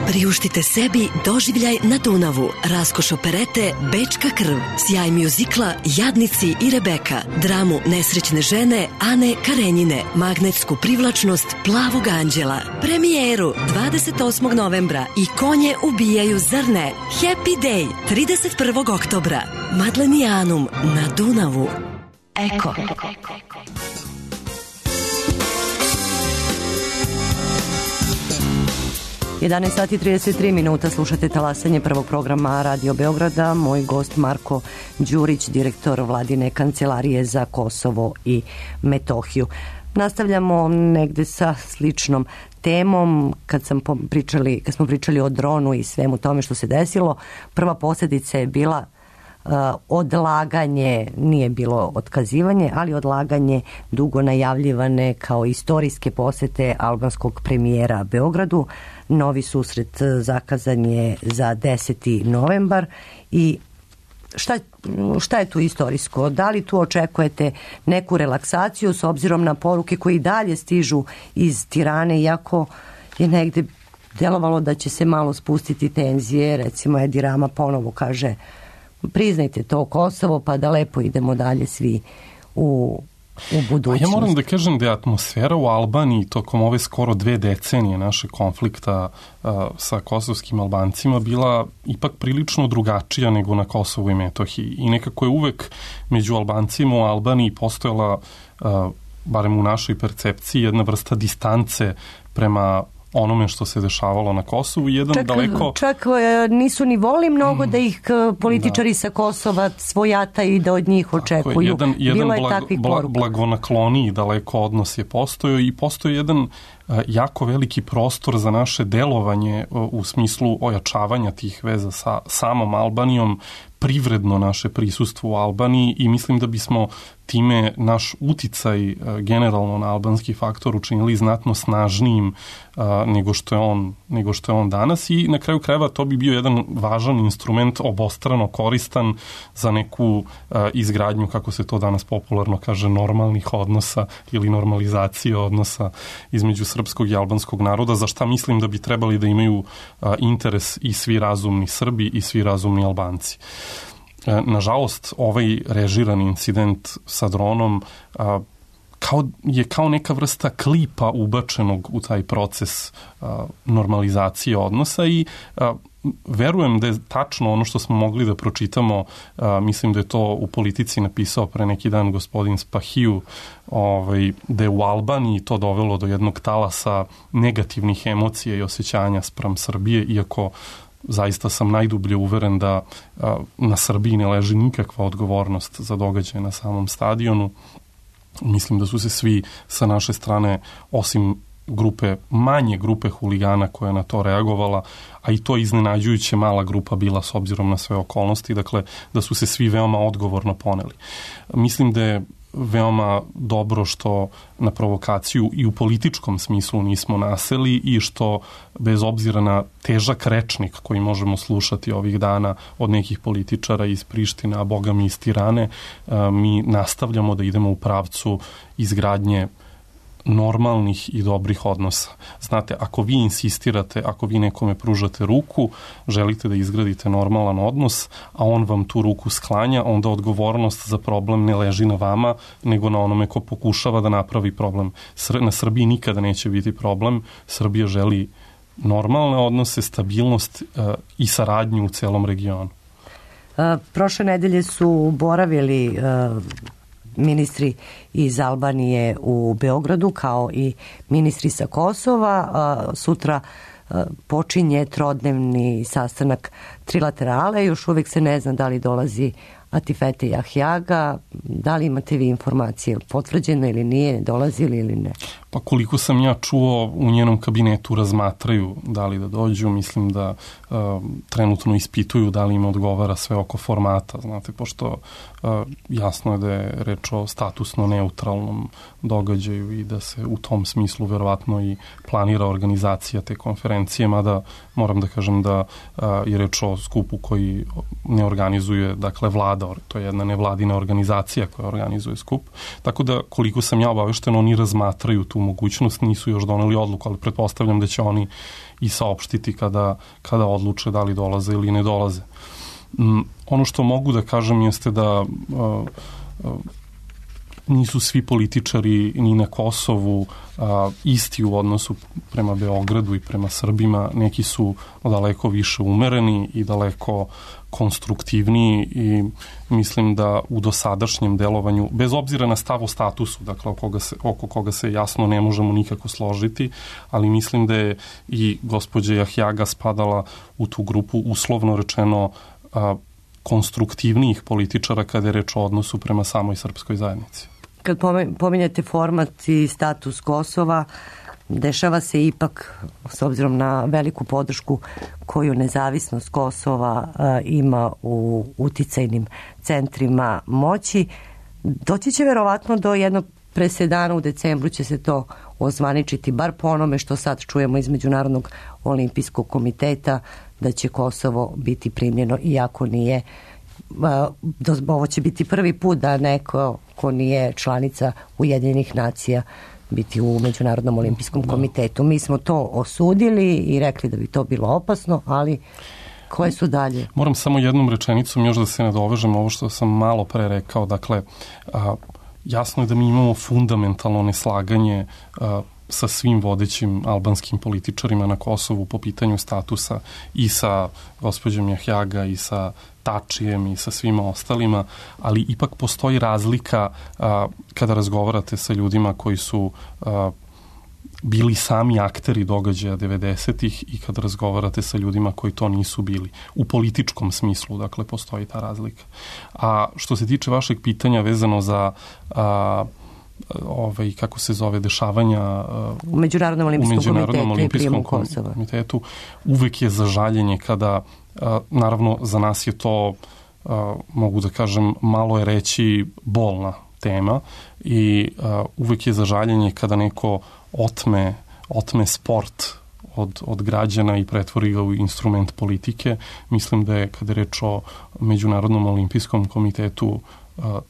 Priuštite sebi doživljaj na Dunavu, raskoš operete Bečka krv, sjaj mjuzikla Jadnici i Rebeka, dramu nesrećne žene Ane Karenjine, magnetsku privlačnost Plavog anđela, premijeru dvadeset osmog novembra i Konje ubijaju zar ne, Happy Day trideset prvog oktobra, Madlenijanum na Dunavu. Eko. jedanaest sati i trideset tri minuta, slušate talasanje prvog programa Radio Beograda. Moj gost Marko Đurić, direktor Vladine kancelarije za Kosovo i Metohiju. Nastavljamo negde sa sličnom temom. Kad, sam pričali, kad smo pričali o dronu i svemu tome što se desilo, prva posljedica je bila odlaganje, nije bilo otkazivanje, ali odlaganje dugo najavljivane kao istorijske posete albanskog premijera Beogradu. Novi susret zakazan je za deseti novembar i šta, šta je tu istorijsko? Da li tu očekujete neku relaksaciju s obzirom na poruke koji dalje stižu iz Tirane, iako je negde delovalo da će se malo spustiti tenzije, recimo Edi Rama ponovo kaže priznajte to Kosovo pa da lepo idemo dalje svi u, u budućnost. Ja moram da kažem da je atmosfera u Albaniji tokom ove skoro dve decenije naše konflikta uh, sa kosovskim Albancima bila ipak prilično drugačija nego na Kosovu i Metohiji i nekako je uvek među Albancima u Albaniji postojala uh, barem u našoj percepciji jedna vrsta distance prema onome što se dešavalo na Kosovu. Jedan čak, daleko... čak nisu ni voli mnogo mm, da ih političari da. sa Kosova svojata i da od njih očekuju. Jedan, jedan Bilo je blag, takvih blag, poruka. blagonakloniji daleko odnos je postojao i postoji jedan jako veliki prostor za naše delovanje u smislu ojačavanja tih veza sa samom Albanijom, privredno naše prisustvo u Albaniji i mislim da bismo time naš uticaj generalno na albanski faktor učinili znatno snažnijim a, nego što je on nego što je on danas i na kraju krajeva to bi bio jedan važan instrument obostrano koristan za neku a, izgradnju, kako se to danas popularno kaže, normalnih odnosa ili normalizacije odnosa između srpskog i albanskog naroda, za šta mislim da bi trebali da imaju a, interes i svi razumni Srbi i svi razumni Albanci. Nažalost, ovaj režirani incident sa dronom a, kao, je kao neka vrsta klipa ubačenog u taj proces a, normalizacije odnosa i a, verujem da je tačno ono što smo mogli da pročitamo, a, mislim da je to u Politici napisao pre neki dan gospodin Spahiju, ovaj, da je u Albaniji to dovelo do jednog talasa negativnih emocija i osjećanja spram Srbije, iako zaista sam najdublje uveren da a, na Srbiji ne leži nikakva odgovornost za događaje na samom stadionu. Mislim da su se svi sa naše strane, osim grupe, manje grupe huligana koja je na to reagovala, a i to iznenađujuće mala grupa bila s obzirom na sve okolnosti, dakle da su se svi veoma odgovorno poneli. Mislim da je veoma dobro što na provokaciju i u političkom smislu nismo naseli i što bez obzira na težak rečnik koji možemo slušati ovih dana od nekih političara iz Prištine, a boga mi iz Tirane, mi nastavljamo da idemo u pravcu izgradnje normalnih i dobrih odnosa. Znate, ako vi insistirate, ako vi nekome pružate ruku, želite da izgradite normalan odnos, a on vam tu ruku sklanja, onda odgovornost za problem ne leži na vama, nego na onome ko pokušava da napravi problem. Na Srbiji nikada neće biti problem. Srbija želi normalne odnose, stabilnost uh, i saradnju u celom regionu. Uh, prošle nedelje su boravili uh, ministri iz Albanije u Beogradu kao i ministri sa Kosova. Sutra počinje trodnevni sastanak trilaterale. Još uvijek se ne zna da li dolazi Atifete Jahjaga. Da li imate vi informacije potvrđeno ili nije, dolazili ili ne? Pa koliko sam ja čuo, u njenom kabinetu razmatraju da li da dođu. Mislim da uh, trenutno ispituju da li im odgovara sve oko formata. Znate, pošto uh, jasno je da je reč o statusno neutralnom događaju i da se u tom smislu verovatno i planira organizacija te konferencije, mada moram da kažem da uh, je reč o skupu koji ne organizuje, dakle, vlada. To je jedna nevladina organizacija koja organizuje skup. Tako da, koliko sam ja obavešten, oni razmatraju tu mogućnost, nisu još doneli odluku, ali pretpostavljam da će oni i saopštiti kada, kada odluče da li dolaze ili ne dolaze. Um, ono što mogu da kažem jeste da uh, uh, nisu svi političari ni na Kosovu a, isti u odnosu prema Beogradu i prema Srbima. Neki su daleko više umereni i daleko konstruktivniji i mislim da u dosadašnjem delovanju, bez obzira na stav o statusu, dakle oko koga se, oko koga se jasno ne možemo nikako složiti, ali mislim da je i gospođa Jahjaga spadala u tu grupu, uslovno rečeno, a, konstruktivnijih političara kada je reč o odnosu prema samoj srpskoj zajednici. Kad pominjate format i status Kosova, dešava se ipak, s obzirom na veliku podršku koju nezavisnost Kosova a, ima u uticajnim centrima moći, doći će verovatno do jednog presedana, u decembru će se to ozvaničiti, bar po onome što sad čujemo iz Međunarodnog olimpijskog komiteta, da će Kosovo biti primljeno, iako nije, ovo će biti prvi put da neko ko nije članica Ujedinjenih nacija biti u Međunarodnom olimpijskom komitetu. Mi smo to osudili i rekli da bi to bilo opasno, ali koje su dalje? Moram samo jednom rečenicom još da se nadovežem ovo što sam malo pre rekao. Dakle, a, jasno je da mi imamo fundamentalno neslaganje a, sa svim vodećim albanskim političarima na Kosovu po pitanju statusa, i sa gospođom Jahjaga i sa Tačijem i sa svima ostalima, ali ipak postoji razlika a, kada razgovarate sa ljudima koji su a, bili sami akteri događaja devedesetih i kada razgovarate sa ljudima koji to nisu bili. U političkom smislu, dakle, postoji ta razlika. A što se tiče vašeg pitanja vezano za a, ovaj, kako se zove, dešavanja u Međunarodnom olimpijskom, u Međunarodnom olimpijskom komitetu, uvek je za žaljenje kada, a, naravno, za nas je to, a, mogu da kažem, malo je reći bolna tema i a, uvek je za žaljenje kada neko otme, otme sport od, od građana i pretvori ga u instrument politike. Mislim da je, kada je reč o Međunarodnom olimpijskom komitetu,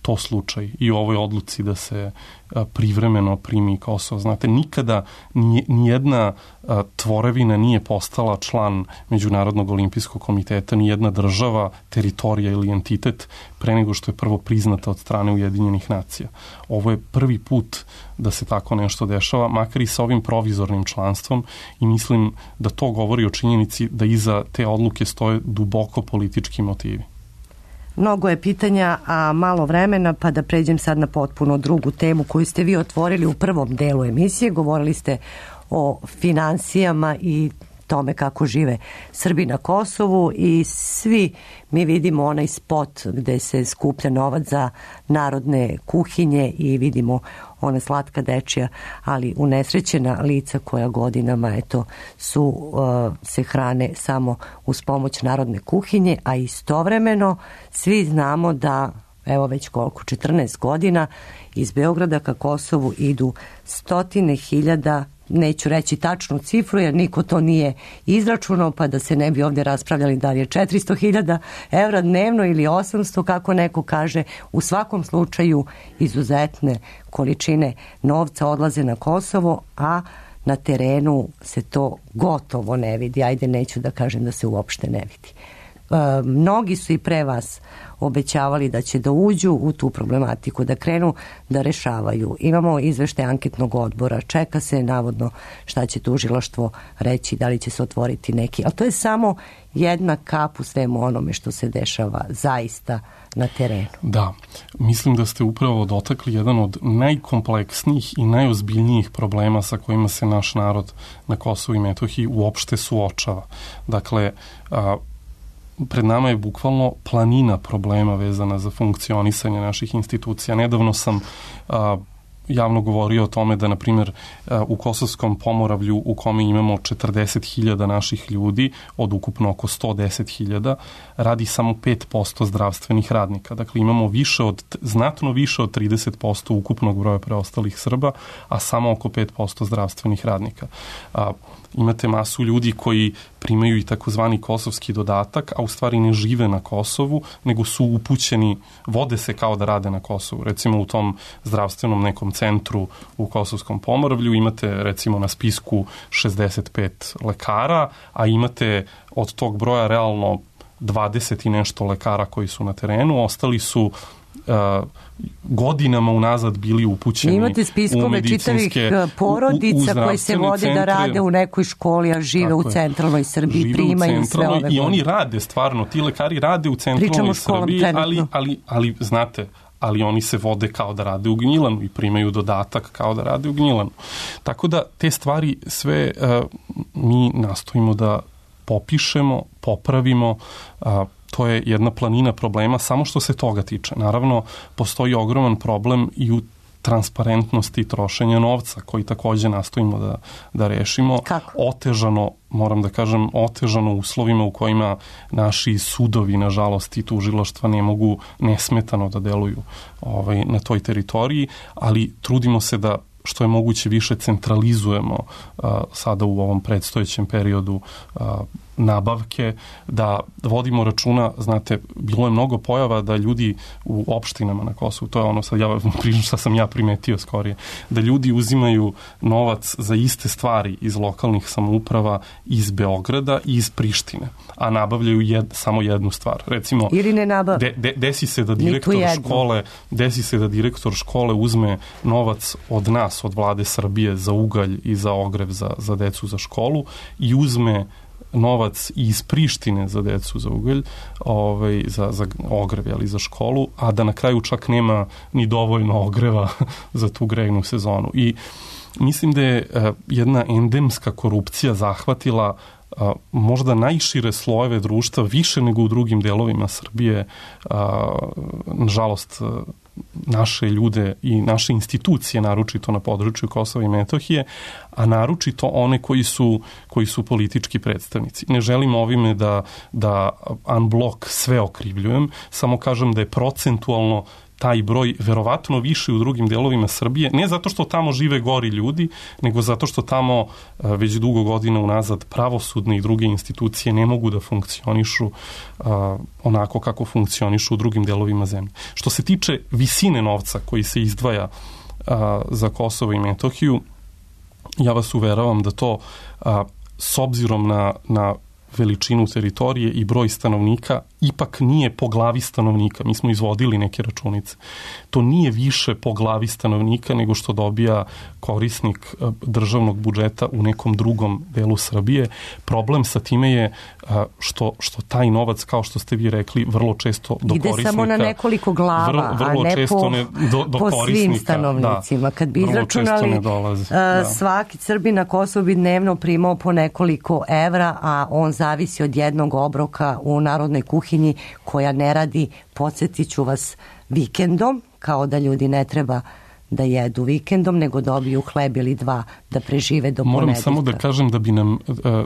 to slučaj i u ovoj odluci da se privremeno primi Kosovo. Znate, nikada nijedna tvorevina nije postala član Međunarodnog olimpijskog komiteta, nijedna država, teritorija ili entitet pre nego što je prvo priznata od strane Ujedinjenih nacija. Ovo je prvi put da se tako nešto dešava, makar i sa ovim provizornim članstvom, i mislim da to govori o činjenici da iza te odluke stoje duboko politički motivi. Mnogo je pitanja, a malo vremena, pa da pređem sad na potpuno drugu temu koju ste vi otvorili u prvom delu emisije. Govorili ste o finansijama i tome kako žive Srbi na Kosovu i svi mi vidimo onaj spot gde se skuplja novac za narodne kuhinje i vidimo ona slatka dečija, ali unesrećena lica koja godinama eto, su, uh, se hrane samo uz pomoć narodne kuhinje, a istovremeno svi znamo da evo već koliko, četrnaest godina iz Beograda ka Kosovu idu stotine hiljada, neću reći tačnu cifru jer niko to nije izračunao, pa da se ne bi ovdje raspravljali da li je četiristo hiljada evra dnevno ili osamsto, kako neko kaže. U svakom slučaju izuzetne količine novca odlaze na Kosovo, a na terenu se to gotovo ne vidi. Ajde, neću da kažem da se uopšte ne vidi. E, mnogi su i pre vas obećavali da će da uđu u tu problematiku, da krenu da rešavaju. Imamo izveštaj anketnog odbora, čeka se navodno šta će tužilaštvo reći, da li će se otvoriti neki, ali to je samo jedna kap u svemu onome što se dešava zaista na terenu. Da, mislim da ste upravo dotakli jedan od najkompleksnijih i najozbiljnijih problema sa kojima se naš narod na Kosovu i Metohiji uopšte suočava. Dakle, a, pred nama je bukvalno planina problema vezana za funkcionisanje naših institucija. Nedavno sam a, javno govorio o tome da, na primjer, u Kosovskom Pomoravlju, u kome imamo četrdeset hiljada naših ljudi, od ukupno oko sto deset hiljada, radi samo pet posto zdravstvenih radnika. Dakle, imamo više od, znatno više od trideset posto ukupnog broja preostalih Srba, a samo oko pet posto zdravstvenih radnika. A, imate masu ljudi koji primaju i takozvani kosovski dodatak, a u stvari ne žive na Kosovu, nego su upućeni, vode se kao da rade na Kosovu. Recimo u tom zdravstvenom nekom centru u Kosovskom Pomoravlju imate recimo na spisku šezdeset pet lekara, a imate od tog broja realno dvadeset i nešto lekara koji su na terenu, ostali su Uh, godinama unazad bili upućeni. Imate spiskove čitavih porodica u, u koji se vode centre, da rade u nekoj školi, a žive u centralnoj Srbiji, primaju sve ove godine. I oni rade stvarno, ti lekari rade u centralnoj Srbiji, ali, ali, ali znate, ali oni se vode kao da rade u Gnjilanu i primaju dodatak kao da rade u Gnjilanu. Tako da te stvari sve uh, mi nastojimo da popišemo, popravimo, uh, to je jedna planina problema samo što se toga tiče. Naravno, postoji ogroman problem i u transparentnosti trošenja novca, koji takođe nastojimo da, da rešimo. Kako? Otežano, moram da kažem, otežano uslovima u kojima naši sudovi, nažalost, i tužilaštva ne mogu nesmetano da deluju ovaj, na toj teritoriji, ali trudimo se da što je moguće više centralizujemo a, sada u ovom predstojećem periodu a, nabavke, da vodimo računa, znate, bilo je mnogo pojava da ljudi u opštinama na Kosovu, to je ono sad ja pričam šta sam ja primetio skorije, da ljudi uzimaju novac za iste stvari iz lokalnih samouprava iz Beograda i iz Prištine, a nabavljaju jed, samo jednu stvar. Recimo, ili ne nabav. De, de, desi se da direktor škole, desi se da direktor škole uzme novac od nas, od vlade Srbije za ugalj i za ogrev za, za decu za školu i uzme novac iz Prištine za decu za ugalj, ovaj, za, za ogrev, ali za školu, a da na kraju čak nema ni dovoljno ogreva za tu grejnu sezonu. I mislim da je uh, jedna endemska korupcija zahvatila uh, možda najšire slojeve društva, više nego u drugim delovima Srbije. Uh, nažalost, uh, naše ljude i naše institucije, naročito na području Kosova i Metohije, a naročito one koji su, koji su politički predstavnici. Ne želim ovime da, da unblock sve okrivljujem, samo kažem da je procentualno taj broj verovatno više u drugim delovima Srbije, ne zato što tamo žive gori ljudi, nego zato što tamo već dugo godina unazad pravosudne i druge institucije ne mogu da funkcionišu uh, onako kako funkcionišu u drugim delovima zemlje. Što se tiče visine novca koji se izdvaja uh, za Kosovo i Metohiju, ja vas uveravam da to uh, s obzirom na, na veličinu teritorije i broj stanovnika ipak nije po glavi stanovnika. Mi smo izvodili neke računice. To nije više po glavi stanovnika nego što dobija korisnik državnog budžeta u nekom drugom delu Srbije. Problem sa time je što, što taj novac, kao što ste vi rekli, vrlo često do ide korisnika... Ide samo na nekoliko glava, vrlo, vrlo a ne po, ne, do, do po svim stanovnicima. Da, kad bi izračunali, da. Svaki Srbin na Kosovu bi dnevno primao po nekoliko evra, a on zavisi od jednog obroka u narodnoj kuhinji koja ne radi, podsjetit ću vas, vikendom, kao da ljudi ne treba da jedu vikendom, nego dobiju hleb ili dva da prežive do ponedeljka. Moram samo da kažem da bi nam, e,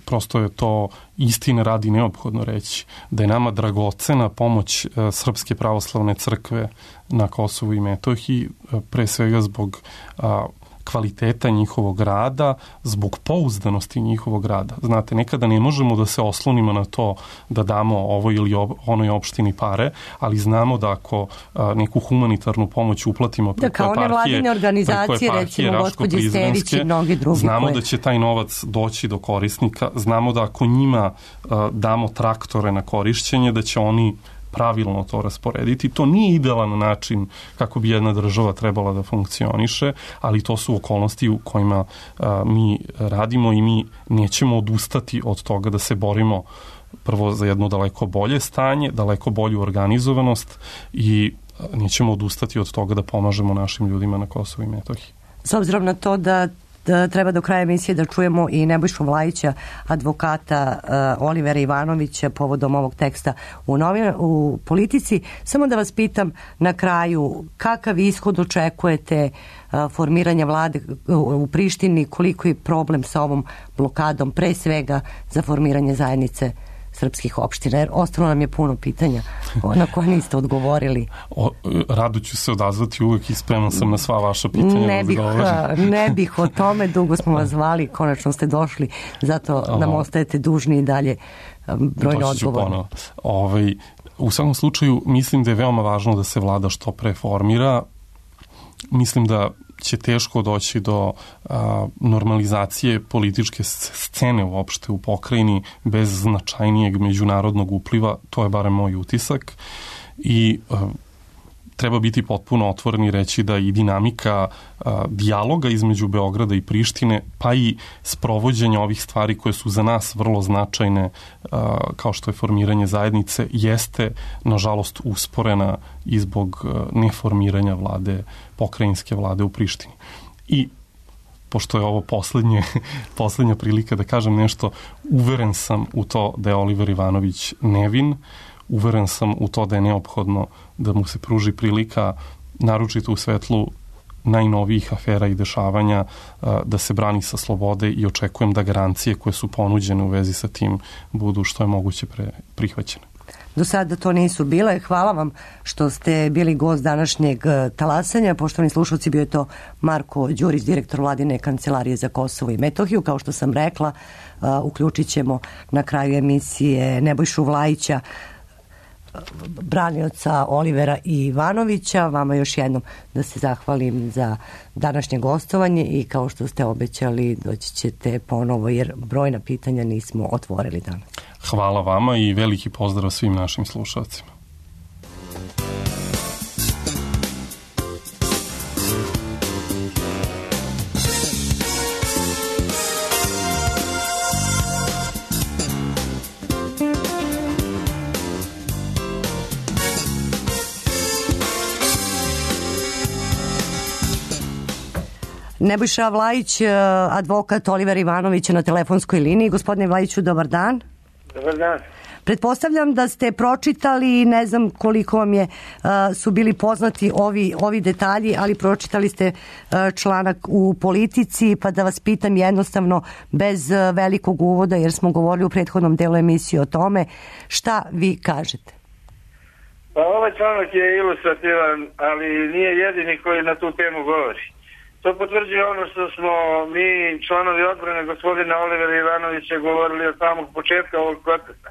prosto je to istine radi neophodno reći, da je nama dragocena pomoć e, Srpske pravoslavne crkve na Kosovu i Metohiji, e, pre svega zbog a, kvaliteta njihovog rada, zbog pouzdanosti njihovog rada. Znate, nekada ne možemo da se oslonimo na to da damo ovoj ili ob, onoj opštini pare, ali znamo da ako a, neku humanitarnu pomoć uplatimo preko da, kao nevladine organizacije, recimo gospođe Stević i mnogi drugi. Znamo koje... da će taj novac doći do korisnika, znamo da ako njima a, damo traktore na korišćenje, da će oni pravilno to rasporediti. To nije idealan način kako bi jedna država trebala da funkcioniše, ali to su okolnosti u kojima a, mi radimo i mi nećemo odustati od toga da se borimo prvo za jedno daleko bolje stanje, daleko bolju organizovanost i nećemo odustati od toga da pomažemo našim ljudima na Kosovu i Metohiji. S obzirom na to da da treba do kraja emisije da čujemo i Nebojšu Vlajića, advokata uh, Olivera Ivanovića povodom ovog teksta u, novin, u Politici. Samo da vas pitam na kraju kakav ishod očekujete uh, formiranja vlade u, u Prištini, koliko je problem sa ovom blokadom, pre svega za formiranje zajednice srpskih opština, jer ostalo nam je puno pitanja na koje niste odgovorili. O, rado ću se odazvati uvek i spreman sam na sva vaša pitanja. Ne bih, ne bih o tome, dugo smo vas zvali, konačno ste došli, zato Aha. nam ostajete dužni i dalje brojno odgovore. Ovaj, u svakom slučaju, mislim da je veoma važno da se vlada što pre formira. Mislim da će teško doći do a, normalizacije političke scene uopšte u pokrajini bez značajnijeg međunarodnog upliva, to je barem moj utisak i a, treba biti potpuno otvoren i reći da i dinamika a, dijaloga između Beograda i Prištine, pa i sprovođenja ovih stvari koje su za nas vrlo značajne, a, kao što je formiranje zajednice, jeste nažalost usporena i zbog a, neformiranja vlade, pokrajinske vlade u Prištini. I pošto je ovo poslednje, poslednja prilika da kažem nešto, uveren sam u to da je Oliver Ivanović nevin, uveren sam u to da je neophodno da mu se pruži prilika, naročito u svetlu najnovijih afera i dešavanja da se brani sa slobode i očekujem da garancije koje su ponuđene u vezi sa tim budu što je moguće pre, prihvaćene. Do sada to nisu bile. Hvala vam što ste bili gost današnjeg talasanja. Poštovani slušalci, bio je to Marko Đurić, direktor Vladine kancelarije za Kosovo i Metohiju. Kao što sam rekla, uključit ćemo na kraju emisije Nebojšu Vlajića, branioca Olivera i Ivanovića. Vama još jednom da se zahvalim za današnje gostovanje i kao što ste obećali, doći ćete ponovo jer brojna pitanja nismo otvorili danas. Hvala vama i veliki pozdrav svim našim slušalcima. Nebojša Vlajić, advokat Oliver Ivanović na telefonskoj liniji. Gospodine Vlajiću, dobar dan. Dobar dan. Pretpostavljam da ste pročitali, ne znam koliko vam je, su bili poznati ovi, ovi detalji, ali pročitali ste članak u Politici, pa da vas pitam jednostavno bez velikog uvoda, jer smo govorili u prethodnom delu emisije o tome, šta vi kažete? Pa ovaj članak je ilustrativan, ali nije jedini koji na tu temu govori. To potvrđuje ono što smo mi, članovi odbrane gospodina Olivera Ivanovića, govorili od samog početka ovog procesa.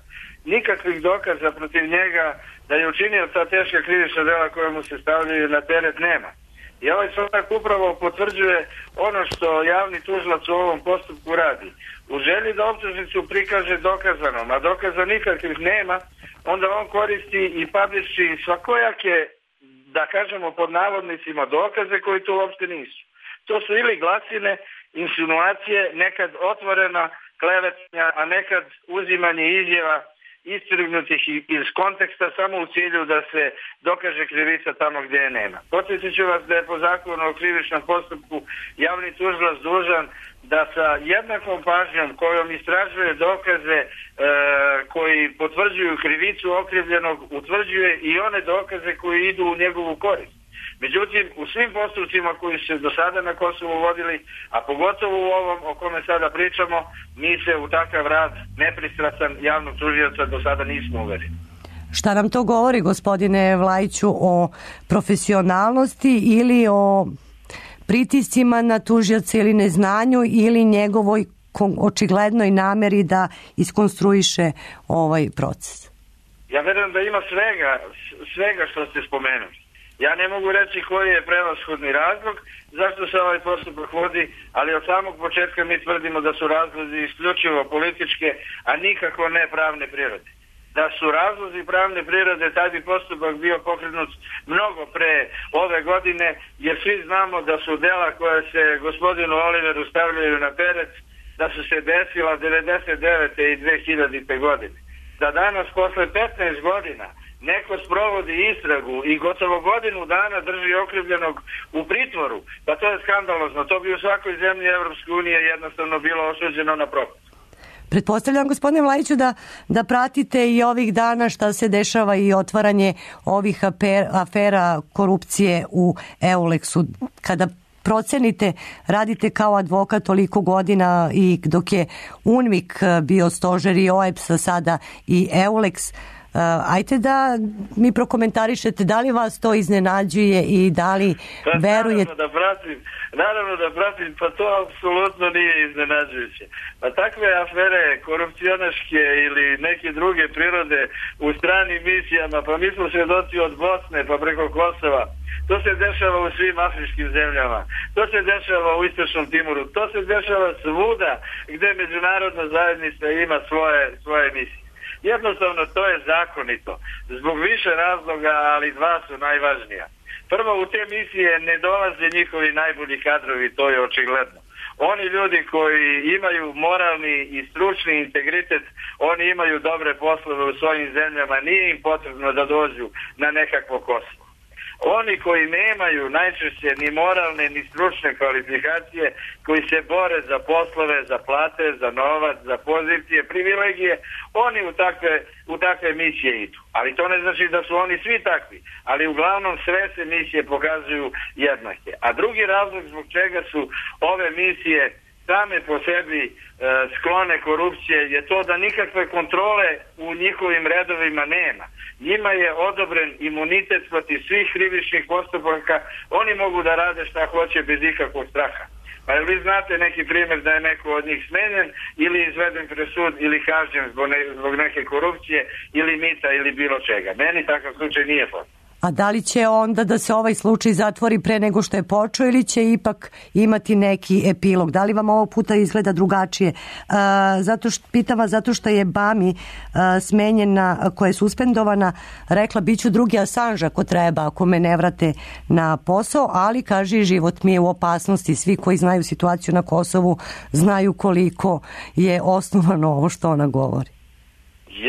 Nikakvih dokaza protiv njega da je učinio ta teška krivična dela koja mu se stavljaju na teret nema. I ovaj članak upravo potvrđuje ono što javni tužilac u ovom postupku radi. U želji da optužnicu prikaže dokazanom, a dokaza nikakvih nema, onda on koristi i pabriši svakojake, da kažemo pod navodnicima, dokaze koji to uopšte nisu. To su ili glasine, insinuacije, nekad otvorena klevetanja, a nekad uzimanje izjava istrgnutih iz konteksta samo u cilju da se dokaže krivica tamo gdje je nema. Podsjetit ću vas da je po zakonu o krivičnom postupku javni tužilac dužan da sa jednakom pažnjom kojom istražuje dokaze e, koji potvrđuju krivicu okrivljenog, utvrđuje i one dokaze koji idu u njegovu korist. Međutim, u svim postupcima koji se do sada na Kosovu vodili, a pogotovo u ovom o kome sada pričamo, mi se u takav rad nepristrasan javnog tužioca do sada nismo uverili. Šta nam to govori, gospodine Vlajiću, o profesionalnosti ili o pritiscima na tužioca ili neznanju ili njegovoj očiglednoj nameri da iskonstruiše ovaj proces? Ja verujem da ima svega, svega što ste spomenuli. Ja ne mogu reći koji je prevashodni razlog zašto se ovaj postupak vodi, ali od samog početka mi tvrdimo da su razlozi isključivo političke, a nikako ne pravne prirode. Da su razlozi pravne prirode, taj bi postupak bio pokrenut mnogo pre ove godine, jer svi znamo da su dela koje se gospodinu Oliveru stavljaju na teret, da su se desila devedeset devete i dve hiljadite godine. Da danas, posle petnaest godina, neko sprovodi istragu i gotovo godinu dana drži okrivljenog u pritvoru, pa to je skandalozno. To bi u svakoj zemlji Evropske unije jednostavno bilo osuđeno na propast. Pretpostavljam, gospodine Vlajiću, da, da pratite i ovih dana šta se dešava i otvaranje ovih aper, afera korupcije u Euleksu. Kada procenite, radite kao advokat toliko godina i dok je UNMIK bio stožer i O E P S, sada i Euleks, Uh, ajte da mi prokomentarišete da li vas to iznenađuje i da li pa, verujete... Naravno da pratim, naravno da pratim, pa to apsolutno nije iznenađujuće. Pa takve afere korupcionaške ili neke druge prirode u stranim misijama, pa mi smo svjedoci od Bosne pa preko Kosova, to se dešava u svim afričkim zemljama, to se dešava u Istočnom Timoru, to se dešava svuda gdje međunarodna zajednica ima svoje, svoje misije. Jednostavno to je zakonito, zbog više razloga, ali dva su najvažnija. Prvo, u te misije ne dolaze njihovi najbolji kadrovi, to je očigledno. Oni ljudi koji imaju moralni i stručni integritet, oni imaju dobre poslove u svojim zemljama, nije im potrebno da dođu na nekakvo Kosovo. Oni koji nemaju najčešće ni moralne ni stručne kvalifikacije, koji se bore za poslove, za plate, za novac, za pozicije, privilegije, oni u takve, u takve misije idu. Ali to ne znači da su oni svi takvi, ali uglavnom sve se misije pokazuju jednake. A drugi razlog zbog čega su ove misije same po sebi e, sklone korupcije je to da nikakve kontrole u njihovim redovima nema. Njima je odobren imunitet protiv svih krivičnih postupaka, oni mogu da rade šta hoće bez ikakvog straha. Pa jel vi znate neki primjer da je neko od njih smenjen ili izveden pred sud ili kažnjen zbog, ne, zbog neke korupcije ili mita ili bilo čega? Meni takav slučaj nije poznat. A da li će onda da se ovaj slučaj zatvori pre nego što je počeo ili će ipak imati neki epilog? Da li vam ovo puta izgleda drugačije? A, zato što, pitam vas zato što je Bami a, smenjena, koja je suspendovana, rekla biću drugi Assange ako treba, ako me ne vrate na posao, ali kaže život mi je u opasnosti. Svi koji znaju situaciju na Kosovu znaju koliko je osnovano ovo što ona govori.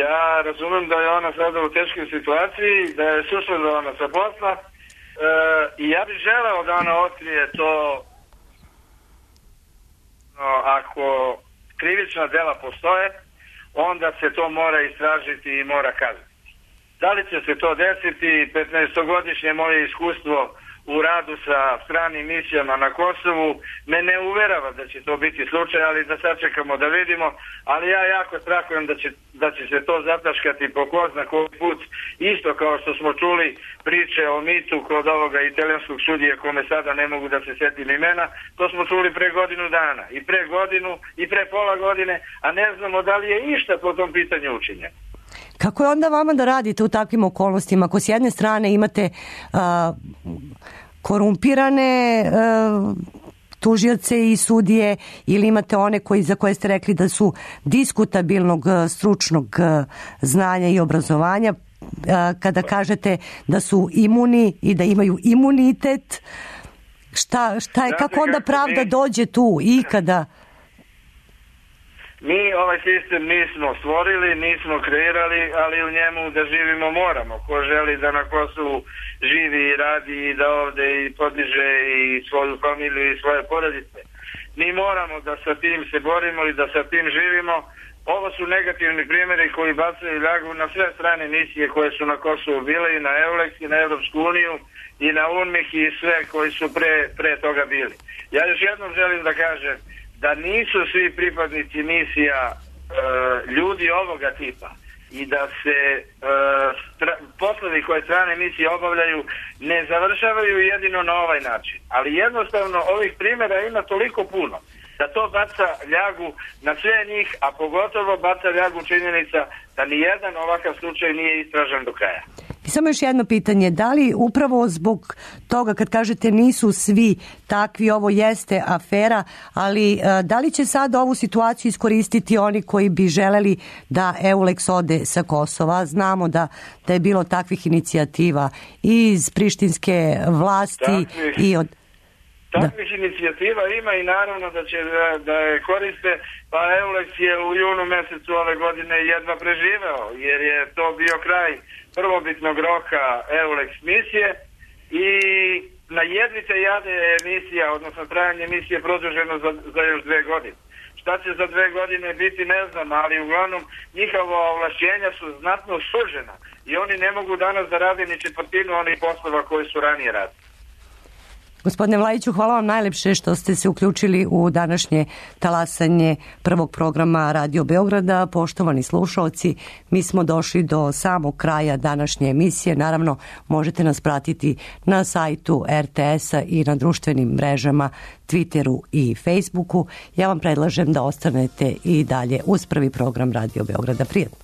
Ja razumem da je ona sada u teškoj situaciji, da je suspendovana sa posla e, i ja bih želeo da ona otkrije to no, ako krivična dela postoje, onda se to mora istražiti i mora kazniti. Da li će se to desiti? petnaestogodišnje moje iskustvo u radu sa stranim misijama na Kosovu me ne uverava da će to biti slučaj, ali da sačekamo da vidimo, ali ja jako strahujem da će, da će se to zataškati po ko zna koji put, isto kao što smo čuli priče o mitu kod ovoga italijanskog sudije kome sada ne mogu da se setim imena, to smo čuli pre godinu dana i pre godinu i pre pola godine, a ne znamo da li je išta po tom pitanju učinjeno. Kako je onda vama da radite u takvim okolnostima? Ako s jedne strane imate a, korumpirane a, tužioce i sudije ili imate one koji, za koje ste rekli da su diskutabilnog stručnog znanja i obrazovanja, a, kada kažete da su imuni i da imaju imunitet, šta, šta je, kako onda pravda dođe tu i kada... Mi ovaj sistem nismo stvorili, nismo kreirali, ali u njemu da živimo moramo. Ko želi da na Kosovu živi i radi i da ovde i podiže i svoju familiju i svoje porodice. Mi moramo da sa tim se borimo i da sa tim živimo. Ovo su negativni primjeri koji bacaju ljagu na sve strane misije koje su na Kosovu bile, i na Eulex, i na Evropsku uniju, i na UNMIK i sve koji su pre, pre toga bili. Ja još jednom želim da kažem da nisu svi pripadnici misija e, ljudi ovoga tipa i da se e, stra, poslovi koje strane misije obavljaju ne završavaju jedino na ovaj način. Ali jednostavno ovih primjera ima toliko puno da to baca ljagu na sve njih, a pogotovo baca ljagu činjenica da ni jedan ovakav slučaj nije istražen do kraja. I samo još jedno pitanje, da li upravo zbog toga kad kažete nisu svi takvi, ovo jeste afera, ali da li će sad ovu situaciju iskoristiti oni koji bi želeli da Eulex ode sa Kosova? Znamo da, da je bilo takvih inicijativa i iz prištinske vlasti takvih, i od... Takvih da. inicijativa ima i naravno da će da, da je koriste, pa Eulex je u junu mesecu ove godine jedva preživeo, jer je to bio kraj prvobitnog roka Eulex misije i na jedvite jade je misija, odnosno trajanje misije produženo za, za još dve godine. Šta će za dve godine biti ne znam, ali uglavnom njihova ovlašćenja su znatno sužena i oni ne mogu danas da rade ni četvrtinu onih poslova koji su ranije radili. Gospodine Vlajiću, hvala vam najlepše što ste se uključili u današnje talasanje prvog programa Radio Beograda. Poštovani slušaoci, mi smo došli do samog kraja današnje emisije. Naravno, možete nas pratiti na sajtu er te es-a i na društvenim mrežama Twitteru i Facebooku. Ja vam predlažem da ostanete i dalje uz prvi program Radio Beograda. Prijatno.